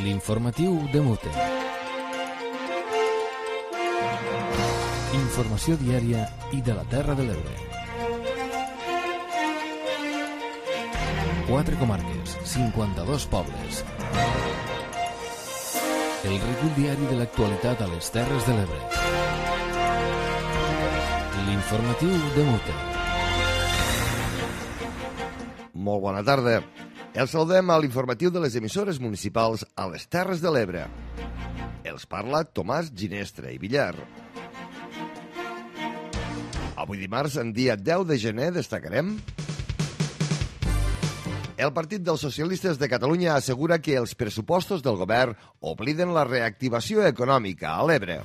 L'informatiu de Mute. Informació diària i de la Terra de l'Ebre. 4 comarques, 52 pobles. El recull diari de l'actualitat a les Terres de l'Ebre. L'informatiu de Mute. Molt bona tarda. Els saludem a l'informatiu de les emissores municipals a les Terres de l'Ebre. Els parla Tomàs Ginestra i Villar. Avui dimarts, en dia 10 de gener, destacarem: el Partit dels Socialistes de Catalunya assegura que els pressupostos del govern obliden la reactivació econòmica a l'Ebre.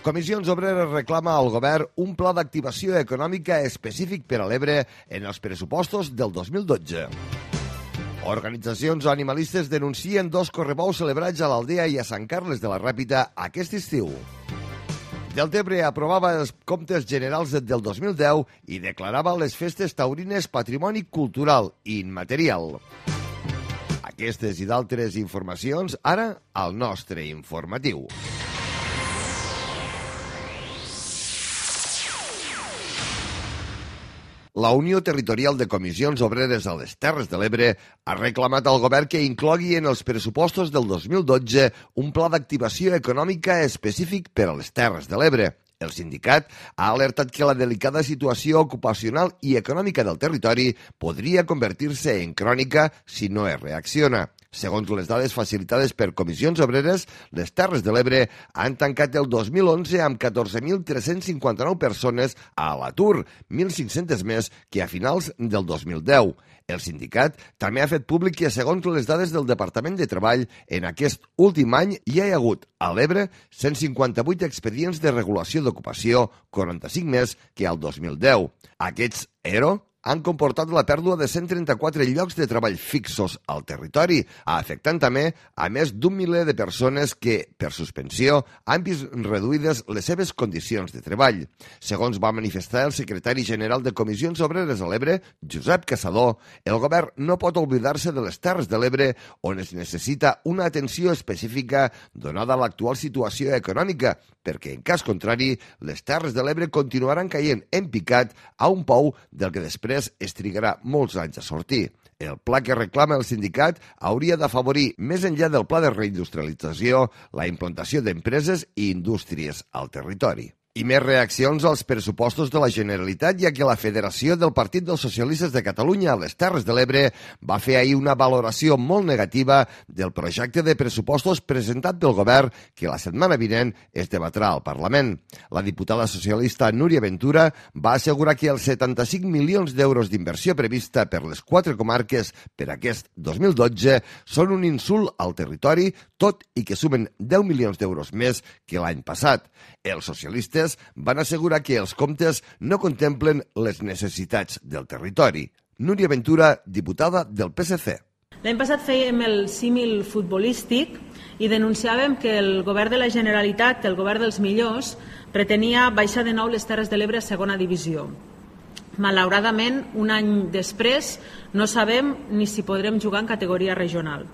Comissions Obreres reclama al govern un pla d'activació econòmica específic per a l'Ebre en els pressupostos del 2012. Organitzacions animalistes denuncien 2 correbous celebrats a l'Aldea i a Sant Carles de la Ràpita aquest estiu. Deltebre aprovava els comptes generals del 2010 i declarava les festes taurines patrimoni cultural i immaterial. Aquestes i d'altres informacions ara al nostre informatiu. La Unió Territorial de Comissions Obreres a les Terres de l'Ebre ha reclamat al govern que inclogui en els pressupostos del 2012 un pla d'activació econòmica específic per a les Terres de l'Ebre. El sindicat ha alertat que la delicada situació ocupacional i econòmica del territori podria convertir-se en crònica si no es reacciona. Segons les dades facilitades per Comissions Obreres, les Terres de l'Ebre han tancat el 2011 amb 14.359 persones a l'atur, 1.500 més que a finals del 2010. El sindicat també ha fet públic que, segons les dades del Departament de Treball, en aquest últim any hi ha hagut a l'Ebre 158 expedients de regulació d'ocupació, 45 més que al 2010. Aquests ERO han comportat la pèrdua de 134 llocs de treball fixos al territori, afectant també a més d'un miler de persones que, per suspensió, han vist reduïdes les seves condicions de treball. Segons va manifestar el secretari general de Comissions Obreres a l'Ebre, Josep Caçador, el govern no pot oblidar-se de les Terres de l'Ebre, on es necessita una atenció específica donada l'actual situació econòmica, perquè, en cas contrari, les Terres de l'Ebre continuaran caient en picat a un pou del que després es trigarà molts anys a sortir. El pla que reclama el sindicat hauria d'afavorir, més enllà del pla de reindustrialització, la implantació d'empreses i indústries al territori. I més reaccions als pressupostos de la Generalitat, ja que la Federació del Partit dels Socialistes de Catalunya a les Terres de l'Ebre va fer ahir una valoració molt negativa del projecte de pressupostos presentat pel govern que la setmana vinent es debatrà al Parlament. La diputada socialista Núria Ventura va assegurar que els 75 milions d'euros d'inversió prevista per les 4 comarques per aquest 2012 són un insult al territori, tot i que sumen 10 milions d'euros més que l'any passat. Els socialistes van assegurar que els comptes no contemplen les necessitats del territori. Núria Ventura, diputada del PSC. L'any passat fèiem el símil futbolístic i denunciàvem que el govern de la Generalitat, el govern dels millors, pretenia baixar de nou les Terres de l'Ebre a segona divisió. Malauradament, un any després, no sabem ni si podrem jugar en categoria regional.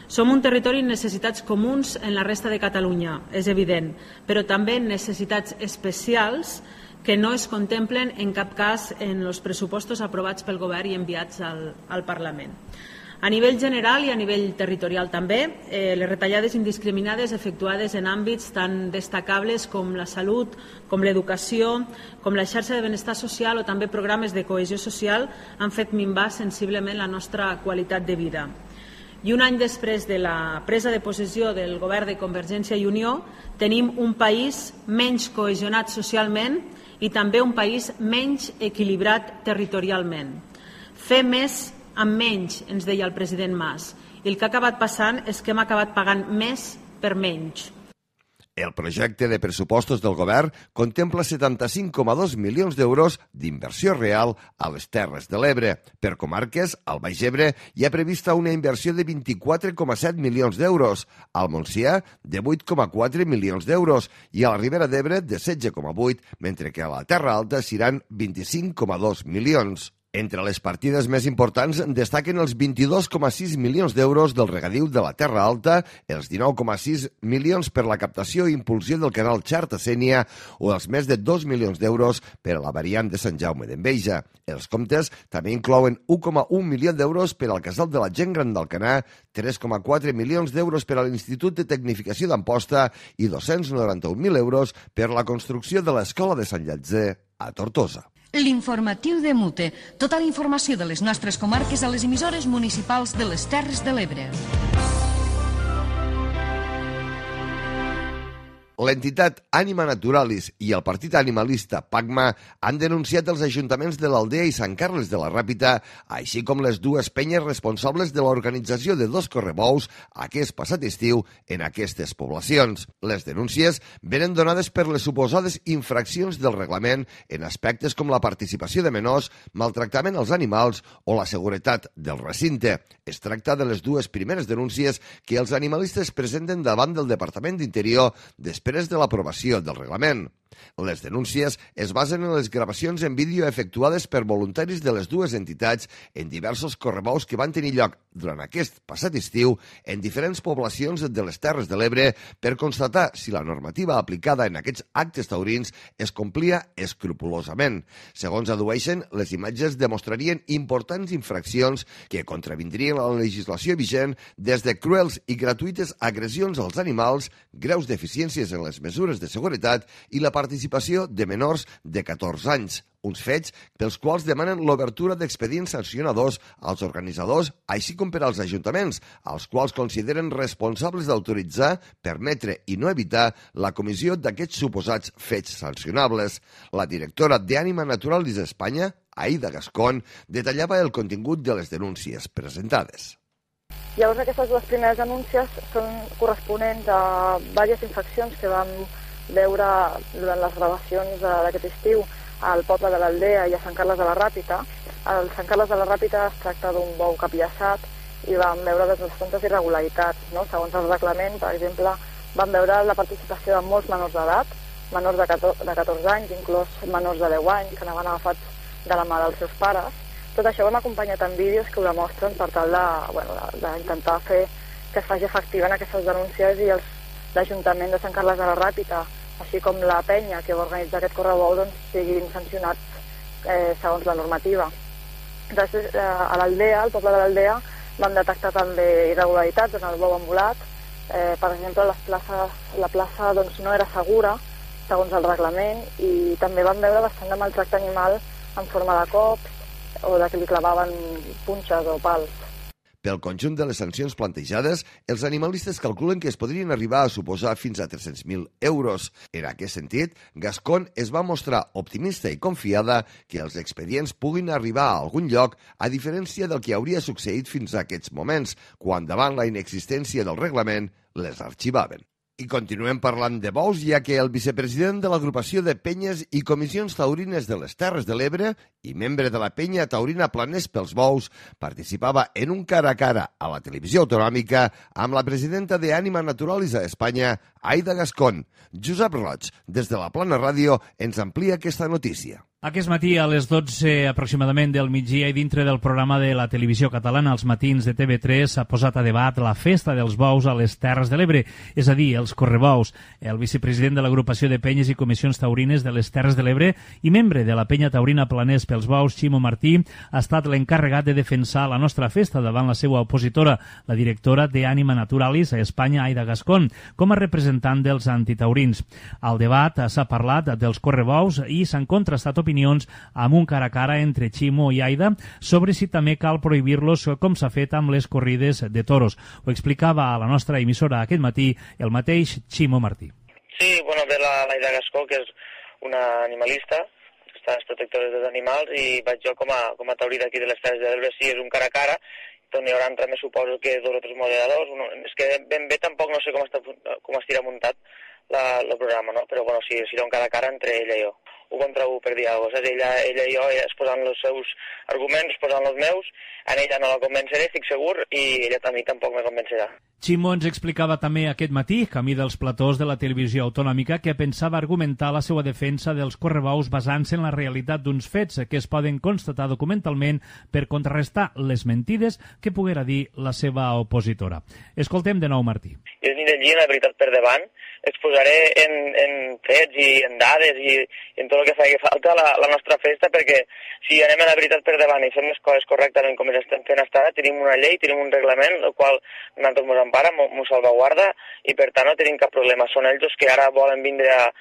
Som un territori amb necessitats comuns en la resta de Catalunya, és evident, però també necessitats especials que no es contemplen en cap cas en els pressupostos aprovats pel govern i enviats al Parlament. A nivell general i a nivell territorial també, les retallades indiscriminades efectuades en àmbits tan destacables com la salut, com l'educació, com la xarxa de benestar social o també programes de cohesió social han fet minvar sensiblement la nostra qualitat de vida. I un any després de la presa de possessió del govern de Convergència i Unió, tenim un país menys cohesionat socialment i també un país menys equilibrat territorialment. Fer més amb menys, ens deia el president Mas, i el que ha acabat passant és que hem acabat pagant més per menys. El projecte de pressupostos del govern contempla 75,2 milions d'euros d'inversió real a les Terres de l'Ebre. Per comarques, al Baix Ebre hi ha prevista una inversió de 24,7 milions d'euros, al Montsià de 8,4 milions d'euros i a la Ribera d'Ebre de 16,8, mentre que a la Terra Alta seran 25,2 milions. Entre les partides més importants destaquen els 22,6 milions d'euros del regadiu de la Terra Alta, els 19,6 milions per la captació i impulsió del canal Xarta-Sénia o els més de 2 milions d'euros per a la variant de Sant Jaume d'Enveja. Els comptes també inclouen 1,1 milió d'euros per al Casal de la Gent Gran d'Alcanar, 3,4 milions d'euros per a l'Institut de Tecnificació d'Amposta i 291.000 euros per la construcció de l'Escola de Sant Llàtzer a Tortosa. L'informatiu de Mute. Tota la informació de les nostres comarques a les emissores municipals de les Terres de l'Ebre. L'entitat Ànima Naturalis i el partit animalista PACMA han denunciat els ajuntaments de l'Aldea i Sant Carles de la Ràpita, així com les dues penyes responsables de l'organització de 2 correbous aquest passat estiu en aquestes poblacions. Les denúncies venen donades per les suposades infraccions del reglament en aspectes com la participació de menors, maltractament als animals o la seguretat del recinte. Es tracta de les dues primeres denúncies que els animalistes presenten davant del Departament d'Interior després de l'aprovació del reglament. Les denúncies es basen en les gravacions en vídeo efectuades per voluntaris de les dues entitats en diversos correbous que van tenir lloc durant aquest passat estiu en diferents poblacions de les Terres de l'Ebre per constatar si la normativa aplicada en aquests actes taurins es complia escrupolosament. Segons adueixen, les imatges demostrarien importants infraccions que contravindrien la legislació vigent, des de cruels i gratuïtes agressions als animals, greus deficiències en les mesures de seguretat i la participació de menors de 14 anys, uns fets pels quals demanen l'obertura d'expedients sancionadors als organitzadors, així com per als ajuntaments, als quals consideren responsables d'autoritzar, permetre i no evitar la comissió d'aquests suposats fets sancionables. La directora d'Ànima Naturalis Espanya, Aida Gascón, detallava el contingut de les denúncies presentades. Llavors, aquestes dues primeres denúncies són corresponents a diverses infraccions que vam veure durant les gravacions d'aquest estiu al poble de l'Aldea i a Sant Carles de la Ràpita. Al Sant Carles de la Ràpita es tracta d'un bou capillaçat i vam veure bastantes irregularitats, no? Segons el reglament, per exemple, vam veure la participació de molts menors d'edat, menors de 14 anys, inclús menors de 10 anys, que anaven agafats de la mà dels seus pares. Tot això ho hem acompanyat amb vídeos que ho demostren per tal d'intentar fer que es faci efectiva en aquestes denúncies i l'Ajuntament de Sant Carles de la Ràpita, així com la penya que va organitzar aquest correbou, doncs, siguin sancionats segons la normativa. Després, a l'Aldea, al poble de l'Aldea, vam detectar també irregularitats en el bou embolat. Per exemple, la plaça doncs, no era segura, segons el reglament, i també vam veure bastant de maltracte animal en forma de cops o de que li clavaven punxes o pals. Pel conjunt de les sancions plantejades, els animalistes calculen que es podrien arribar a suposar fins a 300.000 euros. En aquest sentit, Gascón es va mostrar optimista i confiada que els expedients puguin arribar a algun lloc, a diferència del que hauria succeït fins a aquests moments, quan davant la inexistència del reglament les arxivaven. I continuem parlant de bous, ja que el vicepresident de l'agrupació de penyes i comissions taurines de les Terres de l'Ebre i membre de la penya taurina Planers pels Bous participava en un cara a cara a la televisió autonòmica amb la presidenta d'Ànima Naturalis a Espanya, Aida Gascón. Josep Roig, des de la Plana Ràdio, ens amplia aquesta notícia. Aquest matí a les 12 aproximadament del migdia i dintre del programa de la televisió catalana als matins de TV3 s'ha posat a debat la festa dels bous a les Terres de l'Ebre, és a dir, els correbous. El vicepresident de l'agrupació de penyes i comissions taurines de les Terres de l'Ebre i membre de la penya taurina Planers pels Bous, Ximo Martí, ha estat l'encarregat de defensar la nostra festa davant la seva opositora, la directora d'Ànima Naturalis a Espanya, Aida Gascón, com a representant dels antitaurins. Al debat s'ha parlat dels correbous i s'han contrastat opinions amb un cara a cara entre Ximo i Aida sobre si també cal prohibir-los com s'ha fet amb les corrides de toros. Ho explicava a la nostra emissora aquest matí el mateix Ximo Martí. Sí, bueno, ve l'Aida Gascó, que és una animalista, està protectora dels animals, i vaig jo com a taurí d'aquí de les Terres de l'Ebre. Sí, és un cara a cara, doncs hi haurà també suposo que dos o tres moderadors. És que ben bé tampoc no sé com estirà muntat, el programa, no? Però bueno, sí, serà un cara a cara entre ella i jo. 1 contra 1 per dir alguna cosa. Ella i jo exposant els seus arguments, exposant els meus, a ella no la convenceré, estic segur, i ella a mi tampoc me convencerà. Ximo ens explicava també aquest matí, camí dels platós de la televisió autonòmica, que pensava argumentar la seva defensa dels correbous basant-se en la realitat d'uns fets que es poden constatar documentalment per contrarrestar les mentides que poguera dir la seva opositora. Escoltem de nou Martí. Jo aniré allí la veritat per davant, exposaré en fets i en dades i en tot el que faci falta la nostra festa, perquè si anem a la veritat per davant i fem les coses correctament com les estem fent fins ara, tenim una llei, tenim un reglament, el qual nosaltres ens empara, ens salvaguarda, i per tant no tenim cap problema. Són ells que ara volen vindre a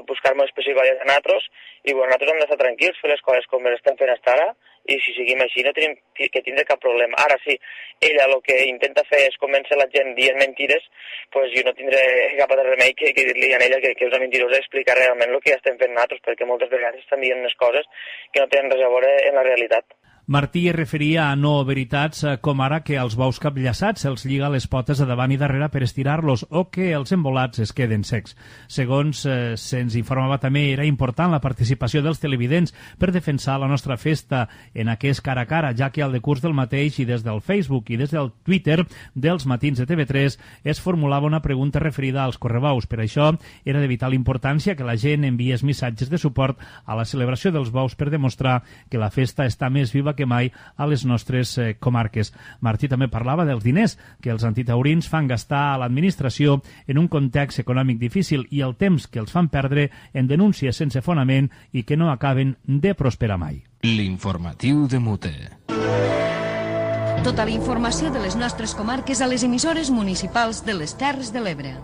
buscar-me les pessigolles a nosaltres, i bueno, nosaltres hem d'estar tranquils, fer les coses com les estem fent fins ara, i si seguim així no tenim que tindre cap problema. Ara sí, ella el que intenta fer és convèncer la gent dient mentides, pues jo no tindré cap altre remei que dir-li a ella que és una mentirosa i explicar realment el que ja estem fent nosaltres, perquè moltes vegades estan dient unes coses que no tenen res a veure en la realitat. Martí es referia a no veritats com ara que als bous capllaçats se'ls lliga les potes a davant i darrere per estirar-los o que els embolats es queden secs. Segons se'ns informava també, era important la participació dels televidents per defensar la nostra festa en aquest cara a cara, ja que al decurs del mateix i des del Facebook i des del Twitter dels matins de TV3 es formulava una pregunta referida als correbous. Per això era de vital importància que la gent enviés missatges de suport a la celebració dels bous per demostrar que la festa està més viva que mai a les nostres comarques. Martí també parlava dels diners que els antitaurins fan gastar a l'administració en un context econòmic difícil i el temps que els fan perdre en denúncies sense fonament i que no acaben de prosperar mai. L'informatiu de Mute. Tota la informació de les nostres comarques a les emissores municipals de les Terres de l'Ebre.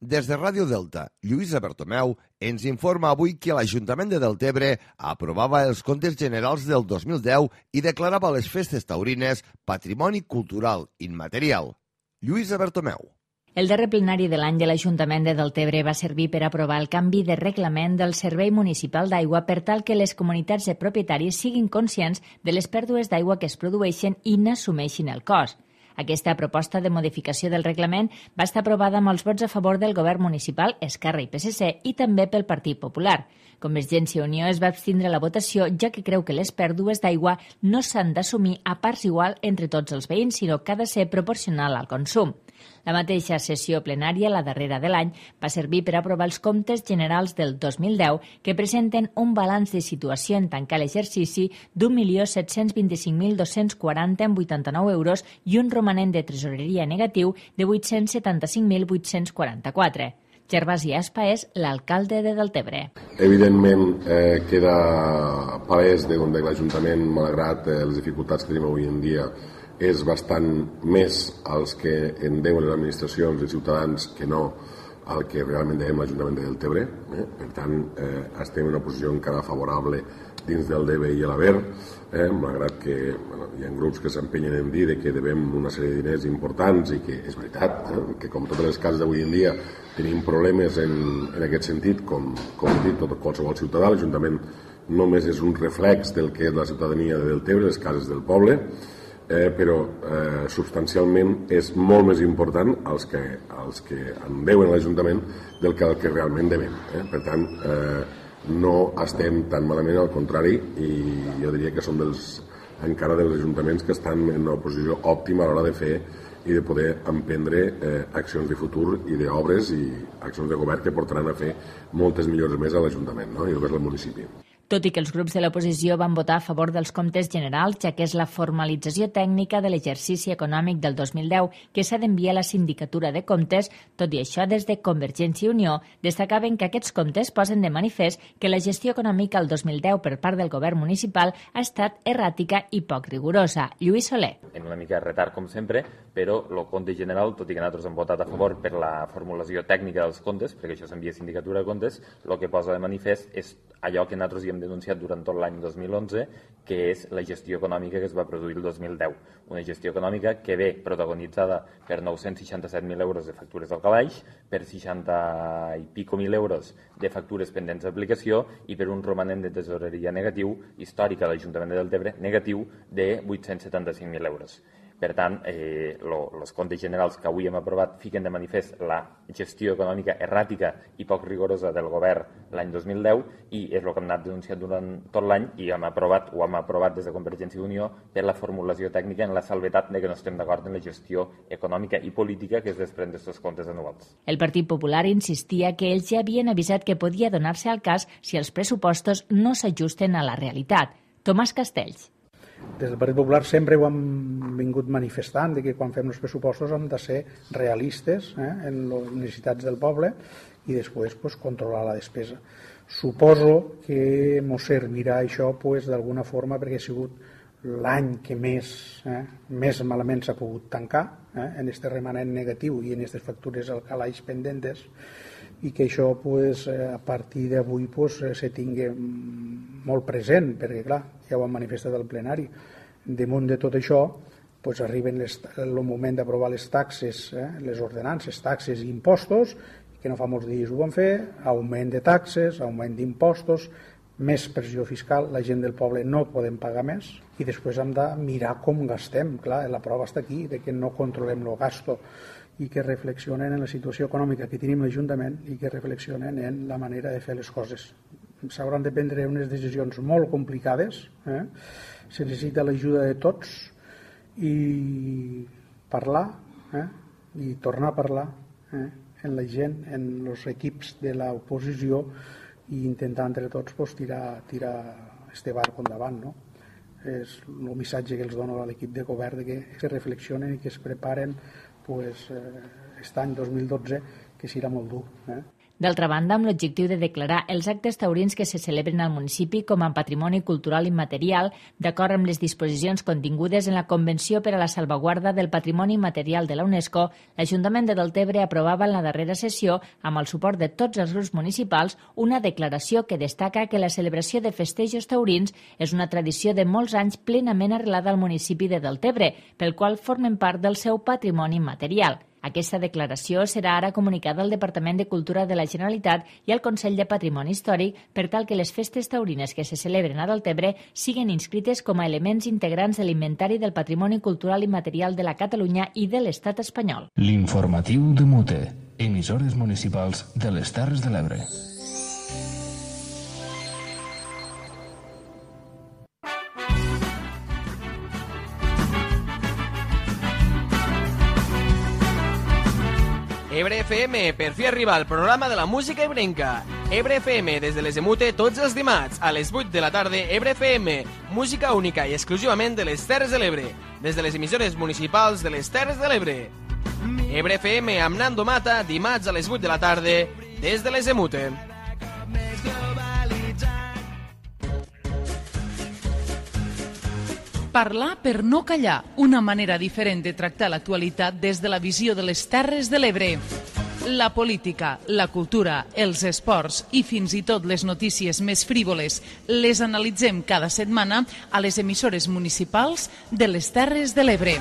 Des de Ràdio Delta, Lluïsa Bertomeu ens informa avui que l'Ajuntament de Deltebre aprovava els comptes generals del 2010 i declarava les festes taurines Patrimoni Cultural Immaterial. Lluïsa Bertomeu. El darrer plenari de l'any de l'Ajuntament de Deltebre va servir per aprovar el canvi de reglament del Servei Municipal d'Aigua per tal que les comunitats de propietaris siguin conscients de les pèrdues d'aigua que es produeixen i n'assumeixin el cost. Aquesta proposta de modificació del reglament va estar aprovada amb els vots a favor del govern municipal, Esquerra i PSC i també pel Partit Popular. Convergència i Unió es va abstindre la votació, ja que creu que les pèrdues d'aigua no s'han d'assumir a parts igual entre tots els veïns, sinó que ha de ser proporcional al consum. La mateixa sessió plenària, la darrera de l'any, va servir per aprovar els comptes generals del 2010 que presenten un balanç de situació en tancar l'exercici d'1.725.240,89 euros i un romanent de tresoreria negatiu de 875.844. Gervasi Aspa és l'alcalde de Deltebre. Evidentment queda palès de l'Ajuntament, malgrat les dificultats que tenim avui en dia, és bastant més els que en deuen les administracions i ciutadans que no el que realment devem l'Ajuntament de Deltebre. Per tant, estem en una posició encara favorable dins del DB i l'Aver, malgrat que hi ha grups que s'empenyen en dir que devem una sèrie de diners importants i que és veritat, que com totes les cases d'avui en dia tenim problemes en aquest sentit, com he dit, qualsevol ciutadà. L'Ajuntament només és un reflex del que és la ciutadania de Deltebre, les cases del poble, però substancialment és molt més important els que en deuen a l'Ajuntament del que el que realment devem. Per tant, no estem tan malament, al contrari, i jo diria que som encara dels ajuntaments que estan en una posició òptima a l'hora de fer i de poder emprendre accions de futur i d'obres i accions de govern que portaran a fer moltes millores més a l'Ajuntament, no? I al municipi. Tot i que els grups de l'oposició van votar a favor dels comptes generals, ja que és la formalització tècnica de l'exercici econòmic del 2010 que s'ha d'enviar a la Sindicatura de Comptes, tot i això, des de Convergència i Unió destacaven que aquests comptes posen de manifest que la gestió econòmica el 2010 per part del govern municipal ha estat erràtica i poc rigorosa. Lluís Soler. En una mica de retard, com sempre, però el compte general, tot i que nosaltres hem votat a favor per la formulació tècnica dels comptes, perquè això s'envia a Sindicatura de Comptes, el que posa de manifest és allò que nosaltres hi hem denunciat durant tot l'any 2011, que és la gestió econòmica que es va produir el 2010. Una gestió econòmica que ve protagonitzada per 967.000 euros de factures al calaix, per 60 i pico mil euros de factures pendents d'aplicació i per un romanent de tesoreria negatiu, històric a l'Ajuntament de Deltebre, negatiu de 875.000 euros. Per tant, els comptes generals que avui hem aprovat fiquen de manifest la gestió econòmica erràtica i poc rigorosa del govern l'any 2010 i és el que hem anat denunciant durant tot l'any i hem aprovat des de Convergència i Unió per la formulació tècnica en la salvetat de que no estem d'acord en la gestió econòmica i política que es desprèn d'aquests comptes anuals. El Partit Popular insistia que ells ja havien avisat que podia donar-se al cas si els pressupostos no s'ajusten a la realitat. Tomàs Castells. Des del Partit Popular sempre ho hem vingut manifestant de que quan fem els pressupostos hem de ser realistes en les necessitats del poble i després controlar la despesa. Suposo que ens servirà això d'alguna forma perquè ha sigut l'any que més malament s'ha pogut tancar en aquest remanent negatiu i en aquestes factures al calaix pendentes i que això a partir d'avui se tingui molt present, perquè clar, ja ho han manifestat al plenari. Damunt de tot això arriba el moment d'aprovar les taxes, les ordenances, taxes i impostos, que no fa molts dies ho van fer, augment de taxes, augment d'impostos, més pressió fiscal, la gent del poble no podem pagar més i després hem de mirar com gastem. Clar, la prova està aquí, de que no controlem el gasto i que reflexionen en la situació econòmica que tenim l'Ajuntament i que reflexionen en la manera de fer les coses. S'hauran de prendre unes decisions molt complicades, se necessita l'ajuda de tots i parlar i tornar a parlar en la gent, en els equips de l'oposició i intentar entre tots tirar este barco endavant, no? És el missatge que els dono a l'equip de govern, que es reflexionen i que es preparen aquest any 2012, que serà molt dur. D'altra banda, amb l'objectiu de declarar els actes taurins que se celebren al municipi com a patrimoni cultural immaterial, d'acord amb les disposicions contingudes en la Convenció per a la Salvaguarda del Patrimoni Immaterial de la UNESCO, l'Ajuntament de Deltebre aprovava en la darrera sessió, amb el suport de tots els grups municipals, una declaració que destaca que la celebració de festejos taurins és una tradició de molts anys plenament arrelada al municipi de Deltebre, pel qual formen part del seu patrimoni immaterial. Aquesta declaració serà ara comunicada al Departament de Cultura de la Generalitat i al Consell de Patrimoni Històric per tal que les festes taurines que se celebren a Deltebre siguin inscrites com a elements integrants de l'Inventari del Patrimoni Cultural i Material de la Catalunya i de l'Estat espanyol. L'informatiu de Mute, emissores municipals de les Terres de l'Ebre. Ebre FM, per fi arriba al programa de la música ebrenca. Ebre FM, des de les de Mute, tots els dimarts, a les 8 de la tarda, Ebre FM, música única i exclusivament de les Terres de l'Ebre, des de les emissores municipals de les Terres de l'Ebre. Ebre FM amb Nando Mata, dimarts a les 8 de la tarda, des de les de Mute. Parlar per no callar, una manera diferent de tractar l'actualitat des de la visió de les Terres de l'Ebre. La política, la cultura, els esports i fins i tot les notícies més frívoles les analitzem cada setmana a les emissores municipals de les Terres de l'Ebre.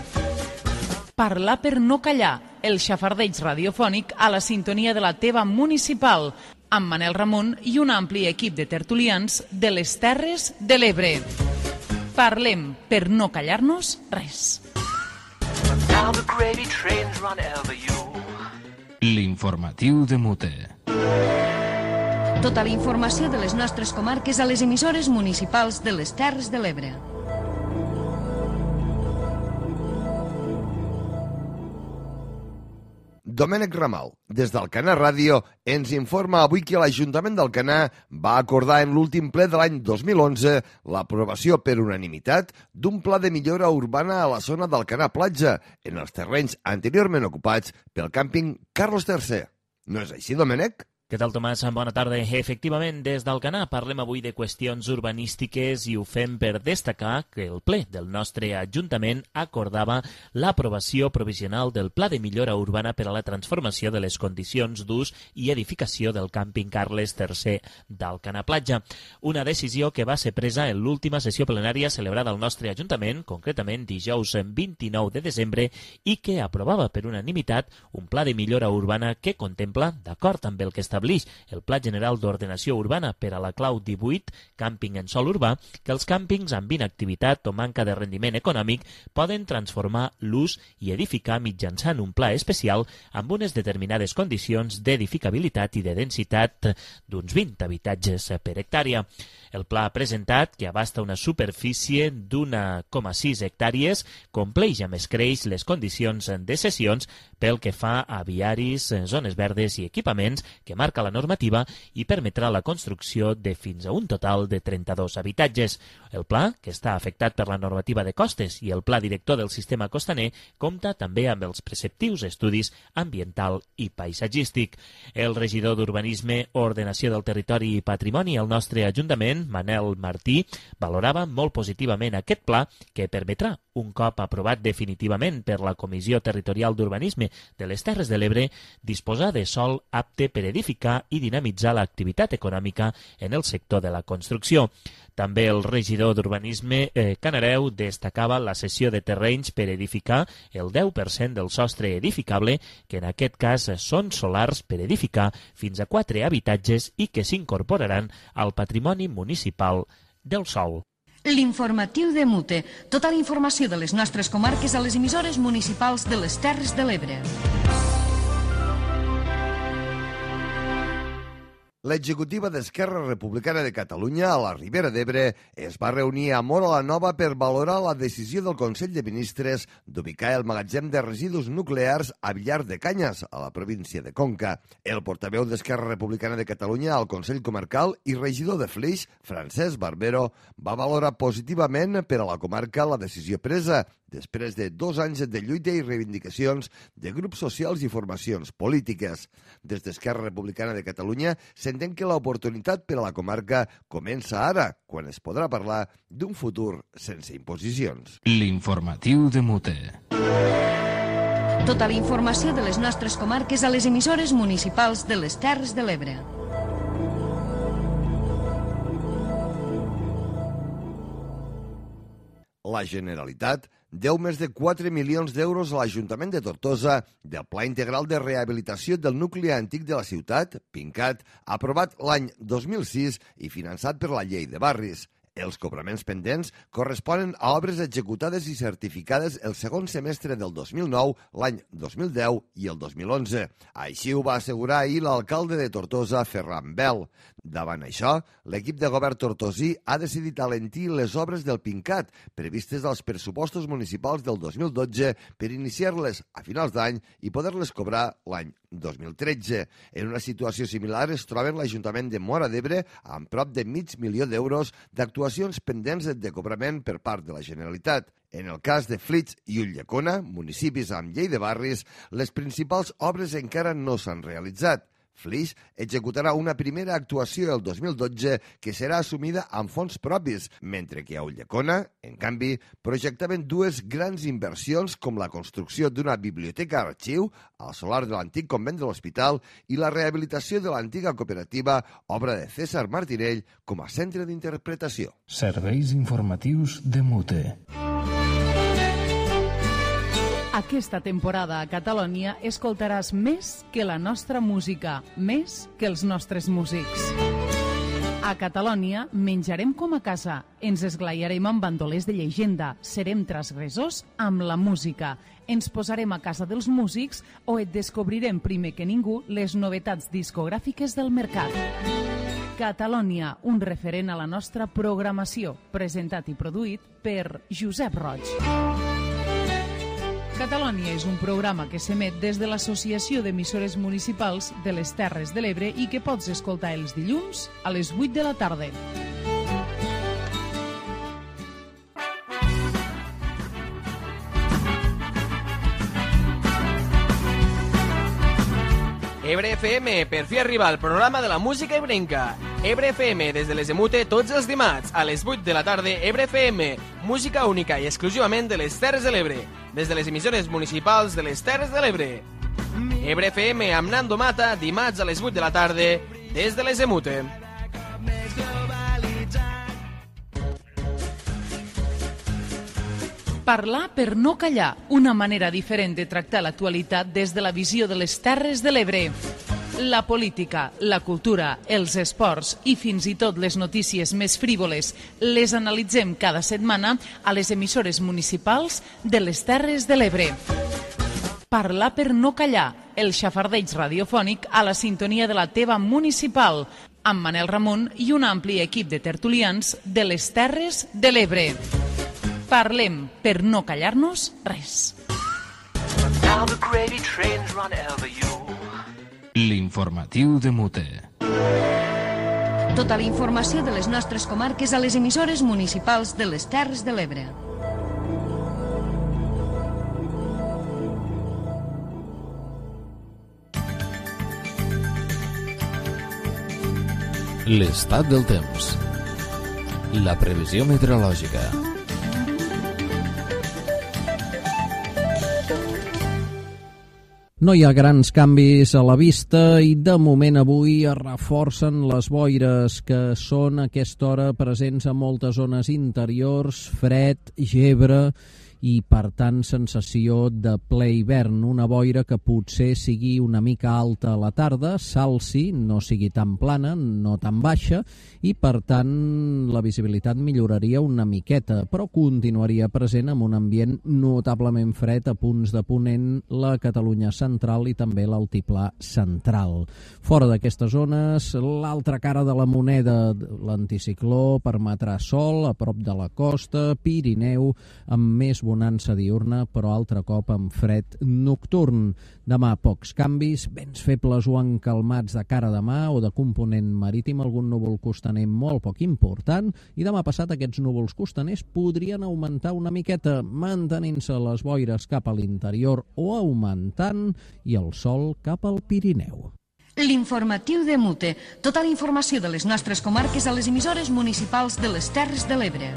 Parlar per no callar, el xafardeig radiofònic a la sintonia de la teva municipal, amb Manel Ramon i un ampli equip de tertulians de les Terres de l'Ebre. Parlem per no callar-nos res. L'informatiu de Mute. Tota la informació de les nostres comarques a les emissores municipals de les Terres de l'Ebre. Domènec Ramal, des d'Alcanar Ràdio, ens informa avui que l'Ajuntament d'Alcanar va acordar en l'últim ple de l'any 2011 l'aprovació per unanimitat d'un pla de millora urbana a la zona d'Alcanar Platja, en els terrenys anteriorment ocupats pel càmping Carlos III. No és així, Domènec? Què tal, Tomàs? Bona tarda. Efectivament, des d'Alcanar parlem avui de qüestions urbanístiques i ho fem per destacar que el ple del nostre Ajuntament acordava l'aprovació provisional del Pla de Millora Urbana per a la transformació de les condicions d'ús i edificació del càmping Carles III d'Alcanar Platja. Una decisió que va ser presa en l'última sessió plenària celebrada al nostre Ajuntament, concretament dijous 29 de desembre, i que aprovava per unanimitat un pla de millora urbana que contempla, d'acord amb el que estableix el Pla General d'Ordenació Urbana per a la clau 18, càmping en sòl urbà, que els càmpings amb inactivitat o manca de rendiment econòmic poden transformar l'ús i edificar mitjançant un pla especial amb unes determinades condicions d'edificabilitat i de densitat d'uns 20 habitatges per hectàrea. El pla presentat, que abasta una superfície d'1,6 hectàrees, compleix amb escreix les condicions de cessions pel que fa a viaris, zones verdes i equipaments que marca la normativa i permetrà la construcció de fins a un total de 32 habitatges. El pla, que està afectat per la normativa de costes i el pla director del sistema costaner, compta també amb els preceptius estudis ambiental i paisatgístic. El regidor d'Urbanisme, Ordenació del Territori i Patrimoni al nostre Ajuntament, Manel Martí, valorava molt positivament aquest pla que permetrà, un cop aprovat definitivament per la Comissió Territorial d'Urbanisme de les Terres de l'Ebre, disposar de sòl apte per edificar i dinamitzar l'activitat econòmica en el sector de la construcció. També el regidor d'Urbanisme, Canareu, destacava la cessió de terrenys per edificar el 10% del sostre edificable, que en aquest cas són solars per edificar fins a 4 habitatges i que s'incorporaran al patrimoni municipal del sòl. L'informatiu de Mute. Tota la informació de les nostres comarques a les emissores municipals de les Terres de l'Ebre. L'executiva d'Esquerra Republicana de Catalunya a la Ribera d'Ebre es va reunir a Móra la Nova per valorar la decisió del Consell de Ministres d'ubicar el magatzem de residus nuclears a Villar de Canyes, a la província de Conca. El portaveu d'Esquerra Republicana de Catalunya al Consell Comarcal i regidor de Flix, Francesc Barbero, va valorar positivament per a la comarca la decisió presa, després de 2 anys de lluita i reivindicacions de grups socials i formacions polítiques. Des d'Esquerra Republicana de Catalunya s'entén que l'oportunitat per a la comarca comença ara, quan es podrà parlar d'un futur sense imposicions. L'informatiu de Mute. Tota la informació de les nostres comarques a les emissores municipals de les Terres de l'Ebre. La Generalitat deu més de 4 milions d'euros a l'Ajuntament de Tortosa del Pla Integral de Rehabilitació del Nucli Antic de la ciutat, PINCAT, aprovat l'any 2006 i finançat per la Llei de Barris. Els cobraments pendents corresponen a obres executades i certificades el segon semestre del 2009, l'any 2010 i el 2011. Així ho va assegurar ahir l'alcalde de Tortosa, Ferran Bel. Davant això, l'equip de govern tortosí ha decidit alentir les obres del PINCAT previstes als pressupostos municipals del 2012 per iniciar-les a finals d'any i poder-les cobrar l'any 2013. En una situació similar es troba l'Ajuntament de Móra d'Ebre amb prop de $500.000 d'euros d'actuacions pendents de cobrament per part de la Generalitat. En el cas de Flix i Ulldecona, municipis amb llei de barris, les principals obres encara no s'han realitzat. Flix executarà una primera actuació el 2012 que serà assumida amb fons propis, mentre que a Ulldecona, en canvi, projectaven 2 grans inversions com la construcció d'una biblioteca-arxiu al solar de l'antic convent de l'Hospital i la rehabilitació de l'antiga cooperativa, obra de César Martirell, com a centre d'interpretació. Serveis informatius de Mute. Aquesta temporada a Catalònia escoltaràs més que la nostra música, més que els nostres músics. A Catalònia menjarem com a casa, ens esglaiarem amb bandolers de llegenda, serem transgressors amb la música, ens posarem a casa dels músics o et descobrirem primer que ningú les novetats discogràfiques del mercat. Catalònia, un referent a la nostra programació, presentat i produït per Josep Roig. Catalònia és un programa que s'emet des de l'Associació d'Emissores Municipals de les Terres de l'Ebre i que pots escoltar els dilluns a les 8 de la tarda. Ebre FM, per fi arriba el programa de la música ebrenca. Ebre FM, des de les Emute, tots els dimarts, a les 8 de la tarda, Ebre FM, música única i exclusivament de les Terres de l'Ebre, des de les emissores municipals de les Terres de l'Ebre. Ebre FM amb Nando Mata, dimarts a les 8 de la tarda, des de les Emute. Parlar per no callar, una manera diferent de tractar l'actualitat des de la visió de les Terres de l'Ebre. La política, la cultura, els esports i fins i tot les notícies més frívoles les analitzem cada setmana a les emissores municipals de les Terres de l'Ebre. Parlar per no callar, el xafardeig radiofònic a la sintonia de la teva municipal, amb Manel Ramon i un ampli equip de tertulians de les Terres de l'Ebre. Parlem per no callar-nos res. L'informatiu de Mute. Tota la informació de les nostres comarques a les emissores municipals de les Terres de l'Ebre. L'estat del temps. La previsió meteorològica. No hi ha grans canvis a la vista i de moment avui es reforcen les boires que són a aquesta hora presents a moltes zones interiors, fred, gebre i per tant sensació de ple hivern, una boira que potser sigui una mica alta a la tarda, s'alci, no sigui tan plana, no tan baixa i per tant la visibilitat milloraria una miqueta, però continuaria present amb un ambient notablement fred a punts de ponent la Catalunya central i també l'altiplà central. Fora d'aquestes zones, l'altra cara de la moneda, l'anticicló permetrà sol a prop de la costa, Pirineu amb més bonança diurna, però altre cop amb fred nocturn. Demà pocs canvis, vents febles o encalmats de cara de mà o de component marítim, algun núvol costaner molt poc important, i demà passat aquests núvols costaners podrien augmentar una miqueta, mantenint-se les boires cap a l'interior o augmentant, i el sol cap al Pirineu. L'informatiu de Mute. Tota la informació de les nostres comarques a les emissores municipals de les Terres de l'Ebre.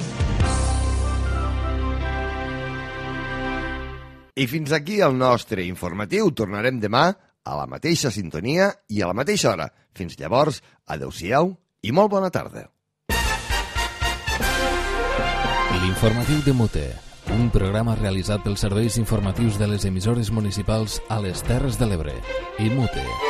I fins aquí el nostre informatiu. Tornarem demà a la mateixa sintonia i a la mateixa hora. Fins llavors, adeu-siau i molt bona tarda. L'informatiu de Mute, un programa realitzat pels serveis informatius de les emissores municipals a les Terres de l'Ebre i Mute.